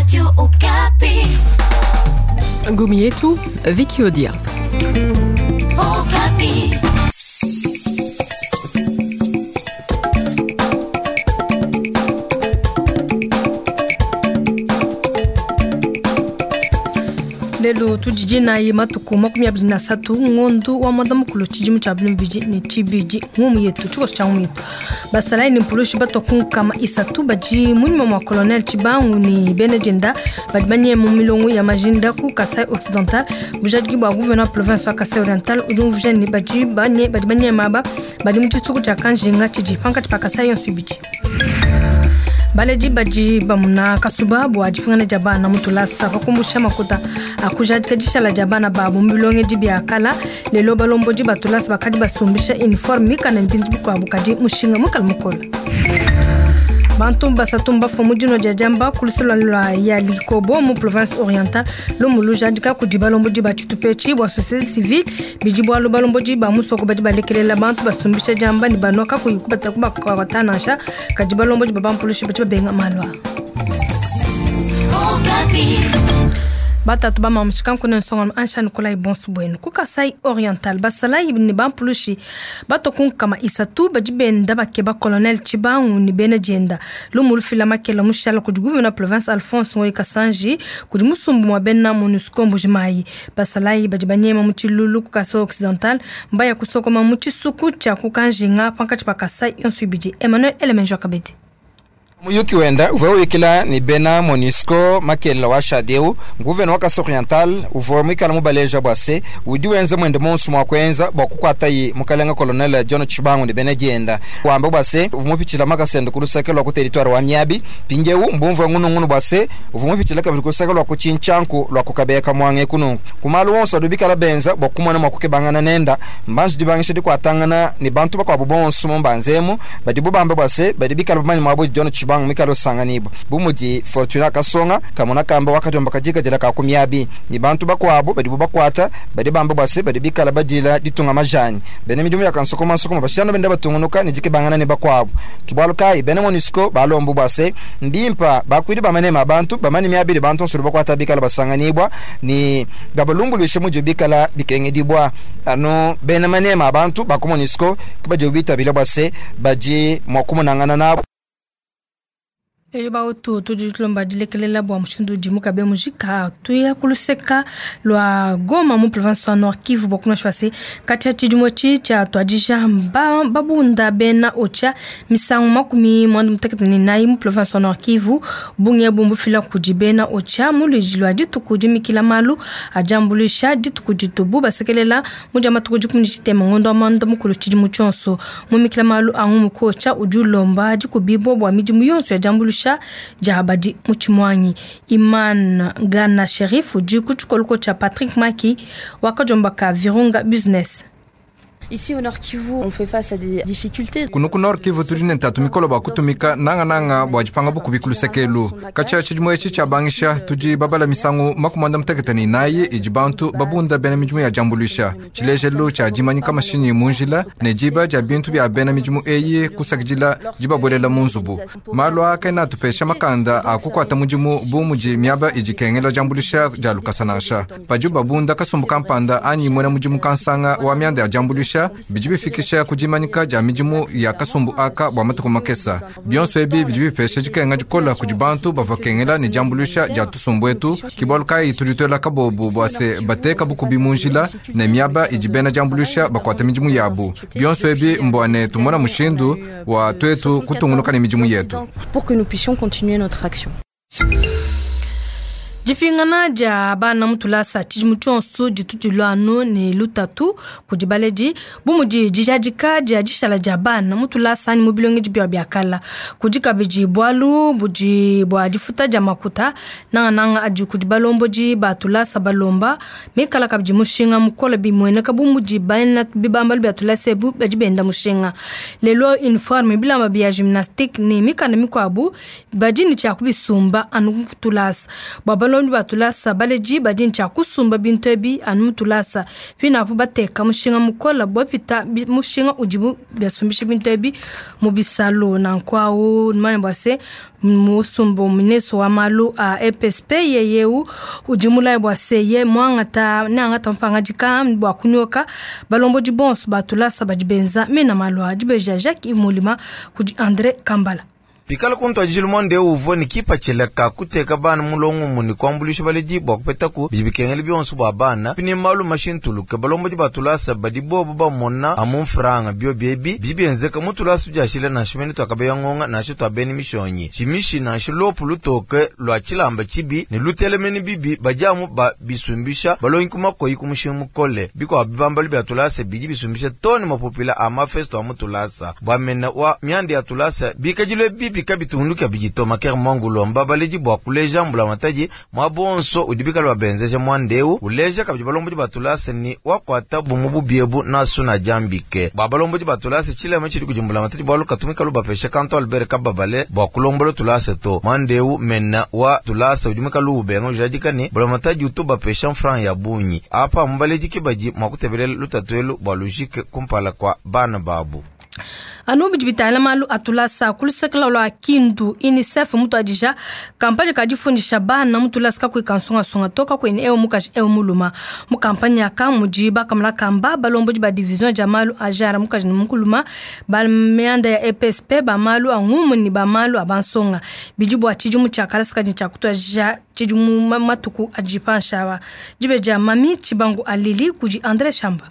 Radio Okapi. Ngumi yetu Vicky Odia. Okapi. Lelo tudi nayi matuku 23 ngondo wa mwanda mukulu tshidimu tshia 2022. Ngumu yetu, tshikoso tshia ngumu yetu: basalayi ne mpulushi batua ku 30 badi munyima mua colonel Tshibangu ne bena dienda badi banye mu milongo ya majinda ku Kasai Occidental. Bujadiki bua gouverneur province wa Kasai Oriental udi umvuija ne badi banye badi banyema aba badi mu tshisuku tshia Kanjinga tshidi pankatshi pa Kasai yonso ibidi. Baledi badi bamuna kasuba bua dipingana dia bana mu tulasa pa kumbusha makuta akujadika dishala dia bana babu mu bilongedi bia kala. Lelo balombodi ba tulasa bakadi basumbisha uniforme mikana ne bintu bikuabu, kadi mushinga mukala mukola. Bantu basatu mbafua mu dino dia diamba ku lusolo lua ya Likobo mu province Orientale. Lumu lujadika kudi balombodi ba tshitupa bua société civile. Bidi bualu balombodi ba musoko badi balekelela bantu basumbisha diamba ne banua kakuyi kubata kubakwata nansha, kadi balombodi ba bampulushi badi babenga malu aa. Okapi. Batatu bamamushika nkune nsongano ansha Nikolai bonso bwenu. Ku Kasai Oriental, basalayi ne bampulushi batua ku 30 badi benda bakeba colonel Tshibangu ne bena dienda. Lumu lufila makela mushala kudi gouverneur province Alphonse Ngoyi Kasanji kudi musumbu mua bena MONUSCO Mbujimayi. Basalayi badi banyema mu tshilulu ku Kasai Occidental mbaya kusokoma mu tshisuku tshia ku Kanjinga pankatshi pa Kasai yonso ibidi. Emmanuel Elemenjo Kabedi. Muyuki wenda uvua uyikila ne bena MONUSCO makelela wa shadeu, nguvena wa Kasai Oriental uvua muikala mubaleja bua se udi wenza mwende monso mua kuenza bua kukuatayi mukalenga colonel John Tshibangu ne bena dienda. Wamba bua se uvua mupitshila makasende ku luseke lua ku territoire wa Miabi, mpindieu mbumvua ngunungunu bua se uvua mupitshila kabidi ku luseke lua ku Tshintshanku lua ku Kabeka mwange kunungu. Kumalu wonso adi bikala benza bua kumona mua kukebangana nenda mbanji dibangisha dikuatangana ne bantu bakuabu bonso mu mbanzemu badi bubamba bua se badi bikala bamanye muabu John Tshibangu mikalo sanganibo bumudi Fortuna Kasonga kamona kamba wakadomba kajika jela ka kumiabi ni bantu bakwabo badi bakwata badi bamba bwase badi bikala badila ditunga majani bene midimu ya kansoko mansoko bashana benda batungunuka ni jike bangana ne bakwabo kibwalu kai bene MONUSCO balombu bwase mbimpa bakwidi bamane mabantu bamane miabili bantu nsulu bakwata bikala basanganibwa ni gabalungulwishe mujo bikala bikengedibwa ano bene mane mabantu baku MONUSCO kibajo bitabila bwase baji mwakumunangana nabo. Eyo bautu tudi tulomba dilekelela bua mushindu udi mukabe mujika tuya kuluseka lua Goma mu province wa Nord Kivu bua kunua se katshia tshidimu etshi tshia tuadija babunda bena Ocha misangu 94 mu province wa Nord Kivu. Bungi ebu mbufila kudi bena Ocha mu luidi lua dituku dimikila malu adiambulusha dituku ditubu basekelela mu dia matuku 13 ngondo wa mwanda mukulu tshidimu tshionso. Mumikila malu a ngumu ku Ocha udi ulomba dikubibua bua midimu yonso ya diambuluisha dia badi mu tshimwanyi. Iman Gana Sherif udi ku tshikoluko tshia Patrick Maki wakadiombaka Virunga Business. Ici au Nord Kivu, on fait face à des difficultés. Kuno ku Nord Kivu tudi ne ntatu mikolo bua kutumika nangananga bua dipanga bukubi ku lusekelu. Katshia tshidimu etshi tshiabangisha tudi babala misangu 94 idi bantu babunda bena midimu ya diambuluisha. Tshilejelu tshia dimanyika mashinyi mu njila ne diba dia bintu bia bena midimu eyi kusakidila dibabuelela mu nzubu. Malu aa kaena atupesha makanda a kukuata mudimu bu mudi miaba idi ikengela diambuluisha dia lukasa nansha. Padibu babunda kasumbu kampanda anyi muena mudimu kansanga wa mianda ya diambuluisha, bidi bifikisha ku dimanyika dia midimu ya kasumbu aka bua matuku makesa. Bionso ebi bidi bipesha dikenga dikola kudi bantu bavua kengela ne diambuluisha dia tusumbu etu. Ke bualu kayi tudi tuela kabobu bua se bateka bukubi mu njila ne miaba idi bena diambuluisha bakuata midimu yabu. Bionso ebi mbua ne tumona mushindu wa tuetu kutungunuka ne midimu yetu. Pour que nous puissions continuer notre action. Dipingana dia bana mu tulasa tshidimu tshionso ditu dilua anu ne lutatu kudi baledi bu mudi dijadika dia dishala dia bana mu tulasa anyi mu bilongedi bia bia kala. Kudi kabidi bualu budi bua difuta dia makuta nangananga adi kudi balombodi ba tulasa balomba mikala kabidi mushinga mukole bimueneka bu mudi bana bibambalu bia tulasa ebu badi benda mushinga. Lelo uniforme, bilamba bia gymnastique ne mikanda mikuabu badi ne tshia kubisumba anu ku tulasa. Bua Balombi ba tulasa baledi badi ne tshia kusumba bintu ebi anu mu tulasa. Pinapu bateka mushinga mukola bua pita mushinga udibu basumbisha bintu ebi mu bisalu. Nanku awu numanye bua se musumba mineso wa malu a EPSP yeyeu udi mulaye bua se ye muangata neangata mapangadika bua kunyoka balombodi bonso ba tulasa badi benza mena malu a dibeja Jacques Yves Molima kudi André Kambala. Pikala kuntuadijilu muanda eu uvua ne kipatshila ka kuteka bana mulongo umue ne kuambuluisha baledi bua kupetaku bidi bikengela bionso bua bana, ne malu mashintuluke, balombodi ba tulasa badi bobu bamona amu mfranga. Biobi ebi bidi bienzeka mu tulasa tudiashila nansha mene tua Kabeya Ngonga nansha tua bena mishonyi tshimishi nansha luopu lutoke lua tshilamba tshibi ne lutelemene bibi badi amu ba bisumbisha balongi ku makoyi ku mushinga mukole. Bikuabu bibambalu bia tulasa bidi bisumbisha too ne mapupila a mafesto a mu tulasa bua mena wa mianda ya tulasa bikadilu ebi kabitunduka kabidi to. Makere Mwangu ulomba baledi bua kuleja mbulamatadi muaba wonso udi bikale babenzeja muanda eu, uleja kabidi balombodi ba tulasa ni wakuata bumu bubi ebu nasu na diambike bua balombodi ba tulasa tshilema tshidi kudi mbulamatadi bualu katumika lubapesha kantu Albert Kababale bua kulombola tulasa to. Muanda eu mena wa tulasa udi muikale ubenga ujadika ni mbulamatadi utu bapesha mfranga ya bungi apa mubaledi ke badi mua kutebelela lutatu elu bua lujike kumpala kua bana babu. Anu bidi bitangila malu a tulasa ku luseke lua Kindu, UNICEF mutuadija kampanye ka difundisha bana mu tulasa kakuyi kansungasunga to, kakuyi ne ewu mukaji ewu muluma. Mu kampanye aka mudi bakamona kamba balombodi ba division dia malu a genre mukaji ne mukuluma, ba mianda ya EPSP, ba malu a ngumu ne ba malu a bansonga. Bidi bua tshidimu tshia kalasa kadi tshia kutuadija tshidimu matuku adi panshi awa. Dibe dia Mami Tshibangu Alili kudi André Shamba.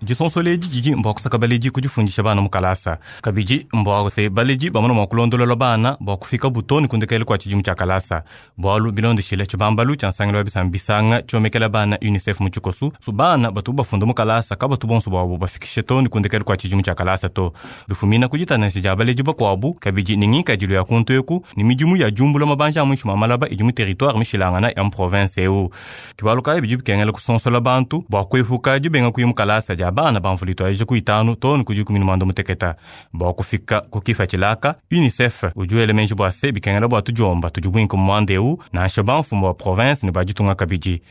Disonsola edi didi mbua kusaka baledi ku difundisha bana mu kalasa. Kabidi mbua se baledi bamona mua kulondolola bana bua kufika butoni ku ndekelu kua tshidimu tshia kalasa. Bualu bilondeshile tshibambalu tshia nsangilu wa bisamba bisanga tshiomekela bana UNICEF mu tshikosu, su bana batu bafunda mu kalasa kabatu bonso buabu bafikishe toni ku ndekelu kua tshidimu tshia kalasa to. Bifumina ku ditanasha dia baledi bakuabu, kabidi ne ngikadilu ya kuntu eku ne midimu ya diumbula mabanja a muinshi mua malaba idi mu territoire mishilangana ya mu province eu. Kibalu kayi bidi bikengela kusonsola bantu bua kuepuka dibenga kuya mu kalasa dia bana ba mvula ituadija ku itanu too ku dikumi ne muanda muteketa. Bua kufika ku kipatshila UNICEF udi wela meji bua se bikengela bua tudiomba tudi buinka mu muanda eu nansha bamfumu ba province ne ba ditunga kabidi.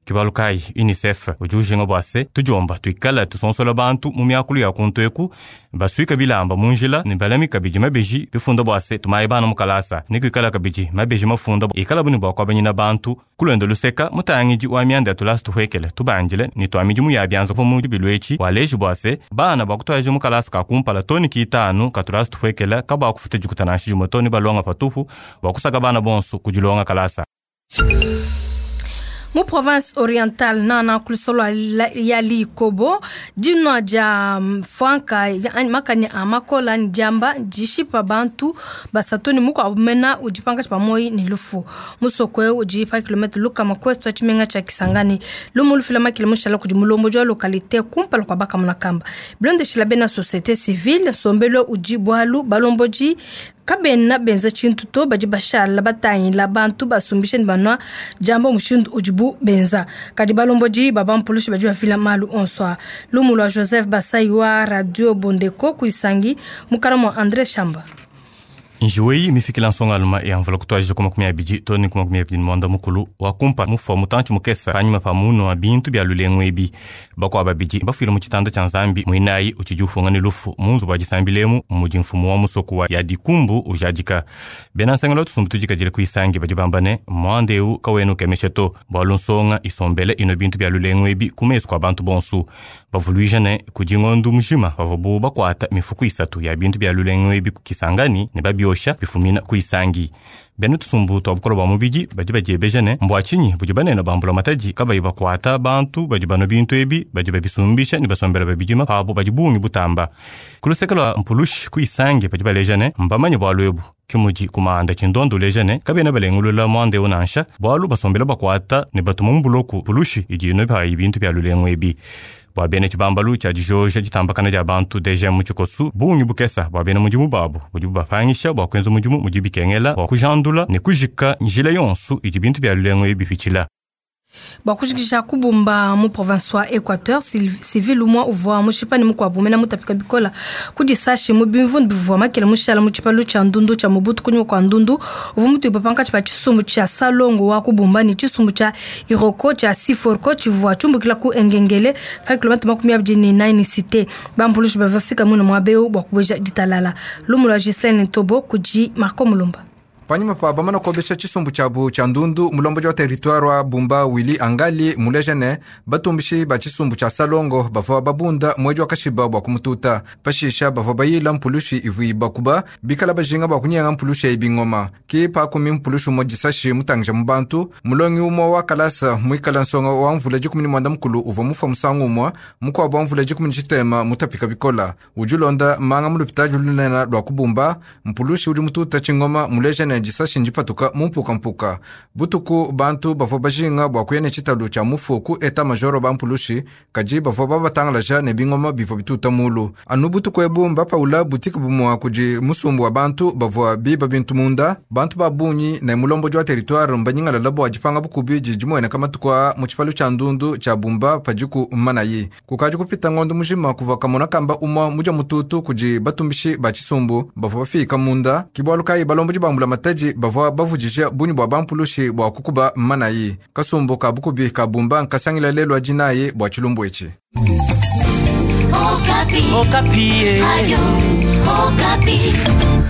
Kibalu kayi UNICEF udi ujinga bua se tudiomba tuikala tusonsola bantu mu miakulu ya kuntu eku basuika bilamba mu njila ne balami kabidi mabeji bifunda bua se tumaye bana mu kalasa ne kuikala kabidi mabeji mafunda ikala buni bua kuabanyina bantu kulonda luseka mutangidi wa mianda ya tulasa tuhuekele tubandile ne tua midimu ya bianza mu dibilu etshi waleji bua se bana bua kutuaja mu kalasa ka kumpala toni kitanu ka tulasa tuhuekele kabua kufuta dikuta nansha dimue toni balonga patupu bua kusaka bana bonso kudilonga kalasa. Mu province orientale nana kulusolo ya Likobo dinwa dia mfwanka makanya a makola ni diamba dishipa bantu basatu ni mukuabu mena udi pankatshi pa moyi ne lufu. Musoko eu udi pa kilomètre lukama ku est wa tshimenga tshia Kisangani. Lumu lufila makili mushala kudi mulombodi wa localité kumpala kua bakamona kamba. Bilondeshila bena société civile nsombelu udi bualu balombodi kabena benza tshintu to badi bashala batangila bantu basumbisha ne banwa diamba mushindu udibu benza. Kadi balombodi babampulushi badi bafila malu onso a. Lumu lua Joseph Basai wa Radio Bondeko kuisangi mukala mwa André Shamba. Njiwei mifikila nsonga aluma ya mvula kutuadija ku makumi abidi too ne ku makumi abidi ne muanda mukulu wa kumpa mufua mutantshi mukese panyima pa munu wa bintu bia lulengu ebi. Bakuabu babidi bafuile mu tshitanda tshia Nzambi muinayi utshidi ufunga ne lufu mu nzubu wa disambilemu mudi mfumu wa musoko wa ya dikumbu ujadika. Bena nsangelo wa tusumbu tudikadile ku Isangi badi bamba ne muanda eu kawena ukemesha to bualu nsonga isombele ino bintu bia lulengu ebi ku mesu kua bantu bonso. Bavuluija ne kudi ngondu mujima bavuabu bakuata mifuku isatu ya bintu bia lulengu ebi ku Kisangani ne babiosha bifumina ku Isangi. Bena tusumbu tua bukolo bua mubidi badi badiebeja ne mbua tshinyi budi banene bambula matadi kabayi bakuata bantu badi banua bintu ebi badi babisumbisha ne basombela babidima pabu badi bungi butamba. Ku luseke lua mpulushi ku Isangi badi baleja ne mbamanye bualu ebu. Ke mudi kumanda tshindondo uleja ne kabena balengulula muanda eu nansha bualu basombela bakuata ne batuma mu buloku pulushi idi ino payi bintu bia lulengu ebi. Bua bena tshibambalu tshia dijoja ditambakana dia bantu DGM mu tshikosu bungi bukesa bua bena mudimu babu budi bubapangisha bua kuenza mudimu mudi bikengela bua kujandula ne kujika njila yonso idi bintu bia lulengu ebi bipitshila. Bua kujikija kubumba mu province wa Equateur, civil umua uvua mushipa ne mukuabu mena mutapika bikola ku disashi mu bimvundu bivua makela mushala mu tshipalu tshia ndundu tshia Mobutu kunyima kua ndundu uvua mutuibua pankatshi pa tshisumbu tshia Salongo wa kubumba ne tshisumbu tshia Iroko tshia Siforco tshivua tshiumbukila ku Engengele pa kilomètre 24 ne cité. Bampulushi bavua bafika muine muaba eu bua kubueja ditalala. Lumu lua Ghislaine Ntobo kudi Marco Mulumba. Panyima pa bamana kuobesha tshisumbu tshiabu tshia ndundu, mulombodi wa territoire wa Bumba Willy Angali muleja ne batumbishi ba tshisumbu tshia Salongo bavua babunda muedi wa kashiba bua kumututa. Pashisha bavua bayila mpulushi ivua ibakuba bikala bajinga bua kunyenga mpulushi eyi bingoma. Ki pakumi mpulushi umue disashi mutangija mu bantu, mulongi umue wa kalasa muikala nsonga wa mvula 19 uvua mufua musangu umue, mukuabu wa mvula 13 mutapika bikola. Udi ulonda manga mu lupitadi lunene lua kubumba, mpulushi udi mututa tshingoma muleja ne disashi ndipatuka mu mpukampuka. Butuku bantu bavua bajinga bua kuya ne tshitalu tshia mufu ku eta majoro ba mpulushi, kadi bavua babatangalaja ne bingoma bivua bituta mulu. Anu butuku ebu mbapaula butike bumua kudi musumbu wa bantu bavua biba bintu munda, bantu ba bungi ne mulombodi wa territoire mbanyingalala bua dipanga bukubi didi dimueneka matuku aa mu tshipalu tshia ndundu tshia Bumba padiku mmanayi. Kukadi kupita ngondo mujima kuvua kamona kamba umua mudia mututu kudi batumbishi ba tshisumbu bavua bafika munda, ki bualu kayi balombodi ba mbulamatadi bavua bavudija bungi bua bampulushi bua kukuba mmanayi. Kasumbu ka bukubi ka Bumba nkasangila lelu wa dinayi bua tshilumbu etshi. Okapi. Okapi. Radio Okapi.